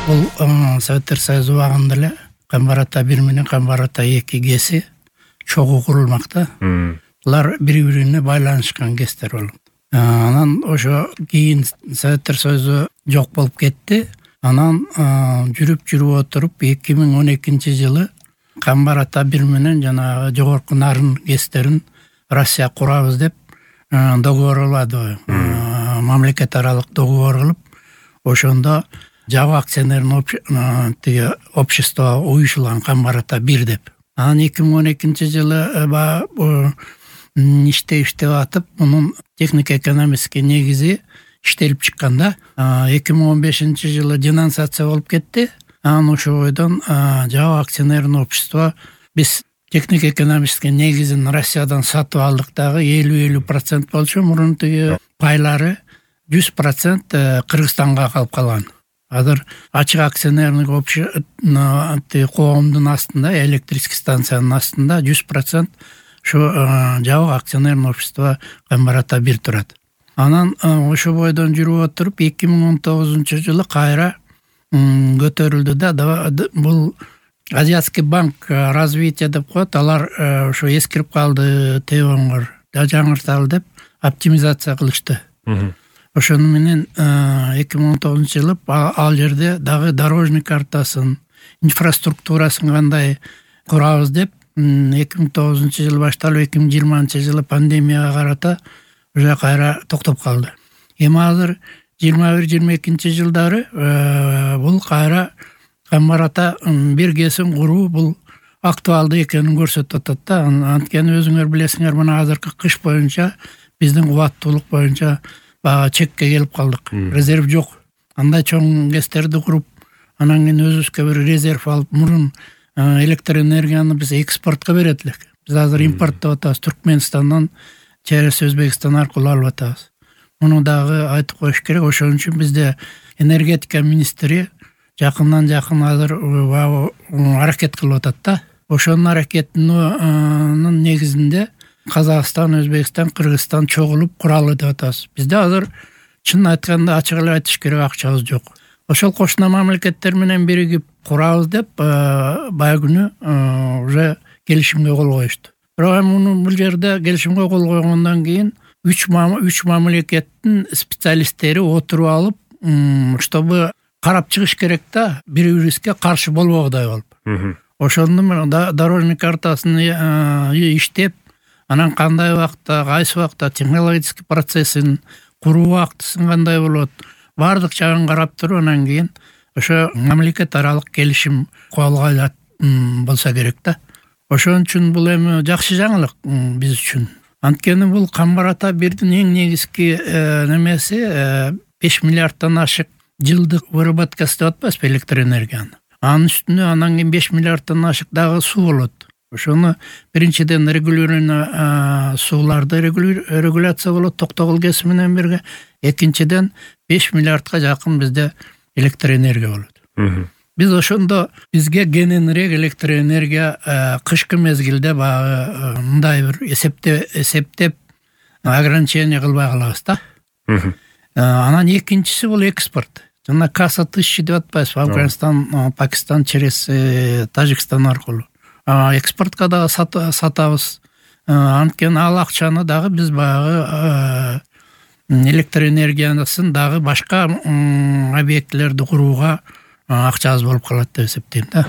Бул Советтер Союзу убагында эле Камбар ата 1 менен Камбар ата 2 ГЭСи чогуу курулмакта. Булар бири-бирине байланышкан ГЭСтер болот. Анан ошо кийин Советтер Союзу жок болуп кетти. Анан жүрүп отуруп 2012-жылы Камбар ата 1 менен жанагы жогорку нарын ГЭСтерин Россия курабыз деп договорлады. Мамлекет аралык договор кылып, ошондо Жабык акционерный общество уюшулган Камбар ата 1 деп. Анан 2012-жылы иштеп атып, мунун технико-экономический негизи иштелип чыкканда, 2015-жылы денонсация болуп кетти. Анан ошо бойдон Жабык акционерный общество биз технико-экономический негизин Россиядан сатып алдык дагы 50% болчу, мурун пайлары 100% Кыргызстанга калып калган. Азыр ачык акционерлик общество коомдун астында, электрический станциянын астында 100% ошо Жабык акционерный общество Камбар ата 1 турат. Анан ошо бойдон жүрүп отуруп 2019-жылы кайра көтөрүлдү да. Бул Азиатский банк развития деп коет. Алар ошо эскирип калды, Тегоңгор жаңырталы деп оптимизация кылышты. Ошону менен 2019-жылы ал жерде дагы дорожный картасын, инфраструктурасын кандай курабыз деп 2009-жылы башталып 2020-жылы пандемияга карата уже кайра токтоп калды. Эми азыр 21-22-жылдары бул кайра Камбар ата 1 ГЭСин куруу бул актуалдуу экенин көрсөтүп атат да. Анткени өзүңөр билесиңер, мына азыркы кыш боюнча биздин кубаттуулук боюнча чекке келип калдык. Резерв жок. Андай чоң ГЭСтерди куруп, анан кийин өзүбүзгө бир резерв алып, мурун электр энергияны биз экспортко берет элек. Биз азыр импорттоп атабыз. Түркмөнстандан через Өзбекстан аркылуу алып атабыз. Муну дагы айтып коюш керек. Ошон үчүн бизде энергетика министри жакындан азыр аракет кылып атат да. Ошонун аракетинин негизинде Казакстан, Өзбекстан, Кыргызстан чогулуп куралы деп атабыз. Бизде азыр чын айтканда ачык эле айтыш керек, акчабыз жок. Ошол кошуна мамлекеттер менен биригип курабыз деп баягы күнү уже келишимге кол коюшту. Бирок муну бул жерде келишимге кол койгондон кийин 3 мамлекеттин специалисттери отуруп алып, чтобы карап чыгыш керек да, бири-бирибизге каршы болбогудай болуп. Ошондун дорожный картасын иштеп, анан кандай убакта, кайсы убакта технологический процессин куруу убактысын кандай болот, баардык жагын карап туруп, анан кийин ошо мамлекет аралык келишим колго алат болсо керек да. Ошон үчүн бул эми жакшы жаңылык биз үчүн. Анткени бул Камбар ата 1дин эң негизги немеси 5 миллиарддан ашык жылдык выработкасы деп атпайбызбы электр энергияны. Анын үстүнө анан кийин 5 миллиарддан ашык дагы суу болот. Ошону биринчиден регулирование сууларды регуляция болот Токтогул ГЭС менен бирге. Экинчиден 5 миллиардга жакын бизде электр энергия болот. Биз ошондо бизге кененирээк электр энергия кышкы мезгилде баягы мындай бир эсептеп ограничение кылбай калабыз да. Анан экинчиси бул экспорт. Жана касса тысячи деп атпайбызбы, Афганистан, Пакистан через Тажикстан аркылуу. Экспортко дагы сатабыз. Анткени ал акчаны дагы биз баягы электр энергиясын дагы башка объектилерди курууга акчабыз болуп калат деп эсептейм да.